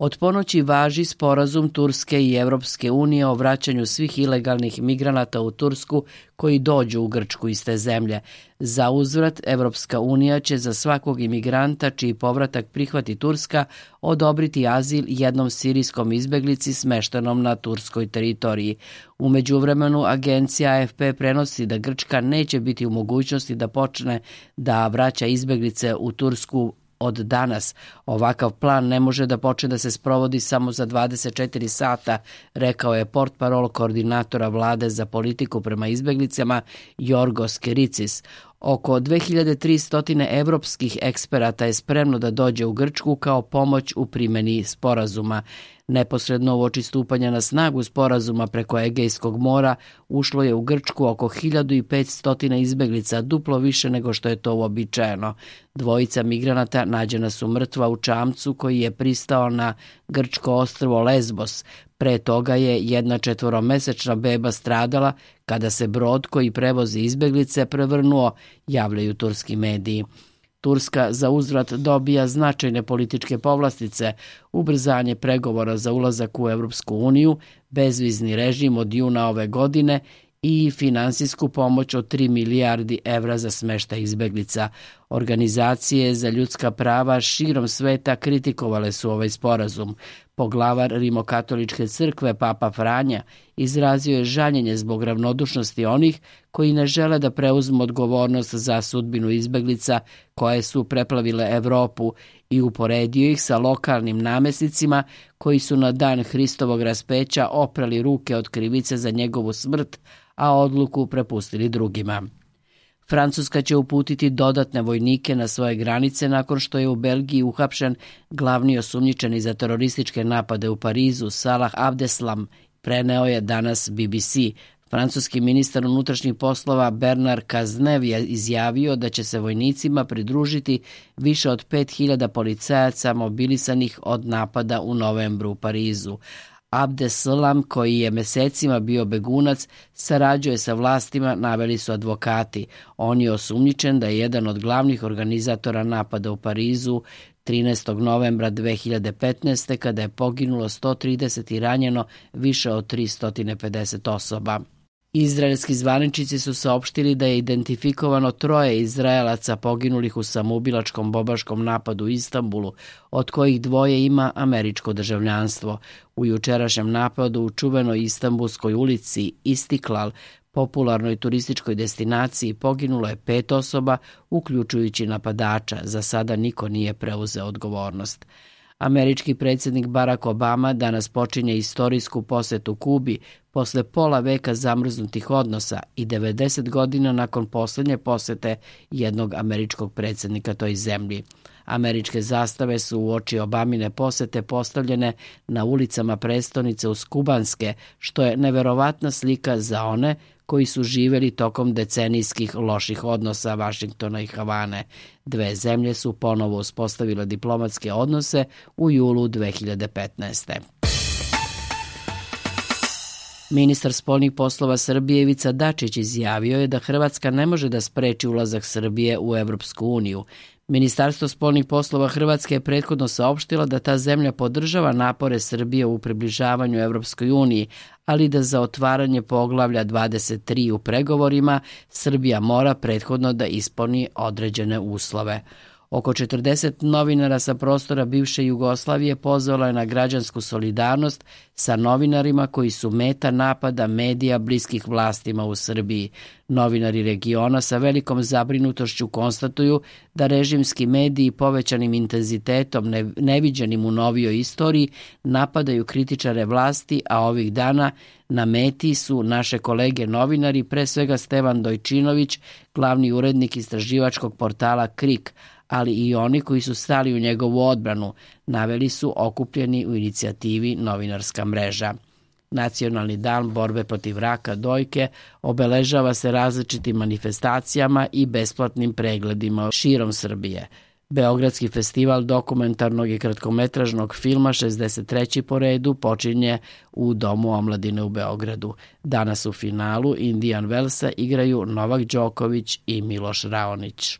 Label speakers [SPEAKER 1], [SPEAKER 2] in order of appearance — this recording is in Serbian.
[SPEAKER 1] Od ponoći važi sporazum Turske i Evropske unije o vraćanju svih ilegalnih migranata u Tursku koji dođu u Grčku iz te zemlje. Za uzvrat, Evropska unija će za svakog imigranta čiji povratak prihvati Turska odobriti azil jednom sirijskom izbeglici smeštenom na turskoj teritoriji. U međuvremenu, agencija AFP prenosi da Grčka neće biti u mogućnosti da počne da vraća izbeglice u Tursku od danas. Ovakav plan ne može da počne da se sprovodi samo za 24 sata, rekao je portparol koordinatora vlade za politiku prema izbeglicama Jorgos Kericis. Oko 2300 evropskih eksperata je spremno da dođe u Grčku kao pomoć u primjeni sporazuma. Neposredno uoči stupanja na snagu sporazuma preko Egejskog mora ušlo je u Grčku oko 1500 izbeglica, duplo više nego što je to uobičajeno. Dvojica migranata nađena su mrtva u čamcu koji je pristao na grčko ostrvo Lesbos. Pre toga je jedna 4-mesečna beba stradala kada se brod koji prevozi izbeglice prevrnuo, javljaju turski mediji. Turska za uzvrat dobija značajne političke povlastice, ubrzanje pregovora za ulazak u Evropsku uniju, bezvizni režim od juna ove godine i finansijsku pomoć od 3 milijardi evra za smeštaj izbeglica. Organizacije za ljudska prava širom sveta kritikovale su ovaj sporazum. Poglavar Rimokatoličke crkve Papa Franja izrazio je žaljenje zbog ravnodušnosti onih koji ne žele da preuzmu odgovornost za sudbinu izbeglica koje su preplavile Evropu i uporedio ih sa lokalnim namesnicima koji su na dan Hristovog raspeća oprali ruke od krivice za njegovu smrt, a odluku prepustili drugima. Francuska će uputiti dodatne vojnike na svoje granice nakon što je u Belgiji uhapšen glavni osumnjičeni za terorističke napade u Parizu Salah Abdeslam, preneo je danas BBC. Francuski ministar unutrašnjih poslova Bernard Cazeneuve je izjavio da će se vojnicima pridružiti više od 5000 policajaca mobilisanih od napada u novembru u Parizu. Abdeslam, koji je mesecima bio begunac, sarađuje sa vlastima, naveli su advokati. On je osumnjičen da je jedan od glavnih organizatora napada u Parizu 13. novembra 2015. kada je poginulo 130 i ranjeno više od 350 osoba. Izraelski zvaničnici su saopštili da je identifikovano 3 Izraelaca poginulih u samoubilačkom bombaškom napadu u Istanbulu, od kojih 2 ima američko državljanstvo. U jučerašnjem napadu u čuvenoj Istanbulskoj ulici Istiklal, popularnoj turističkoj destinaciji, poginulo je 5 osoba, uključujući napadača. Za sada niko nije preuzeo odgovornost. Američki predsjednik Barack Obama danas počinje istorijsku posetu Kubi posle pola veka zamrznutih odnosa i 90 godina nakon posljednje posete jednog američkog predsjednika toj zemlji. Američke zastave su uoči Obamine posete postavljene na ulicama prestonice uz Kubanske, što je neverovatna slika za one koji su živjeli tokom decenijskih loših odnosa Vašingtona i Havane. 2 zemlje su ponovo uspostavile diplomatske odnose u julu 2015. Ministar spoljnih poslova Srbije Ivica Dačić izjavio je da Hrvatska ne može da spreči ulazak Srbije u Evropsku uniju. Ministarstvo spoljnih poslova Hrvatske je prethodno saopštila da ta zemlja podržava napore Srbije u približavanju Evropskoj uniji, ali da za otvaranje poglavlja 23 u pregovorima Srbija mora prethodno da ispuni određene uslove. Oko 40 novinara sa prostora bivše Jugoslavije pozvalo je na građansku solidarnost sa novinarima koji su meta napada medija bliskih vlastima u Srbiji. Novinari regiona sa velikom zabrinutošću konstatuju da režimski mediji povećanim intenzitetom neviđenim u novijoj istoriji napadaju kritičare vlasti, a ovih dana na meti su naše kolege novinari, pre svega Stevan Dojčinović, glavni urednik istraživačkog portala KRIK, ali i oni koji su stali u njegovu odbranu, naveli su okupljeni u inicijativi Novinarska mreža. Nacionalni dan borbe protiv raka dojke obeležava se različitim manifestacijama i besplatnim pregledima širom Srbije. Beogradski festival dokumentarnog i kratkometražnog filma 63. po redu počinje u Domu omladine u Beogradu. Danas u finalu Indian Wellsa igraju Novak Đoković i Miloš Raonić.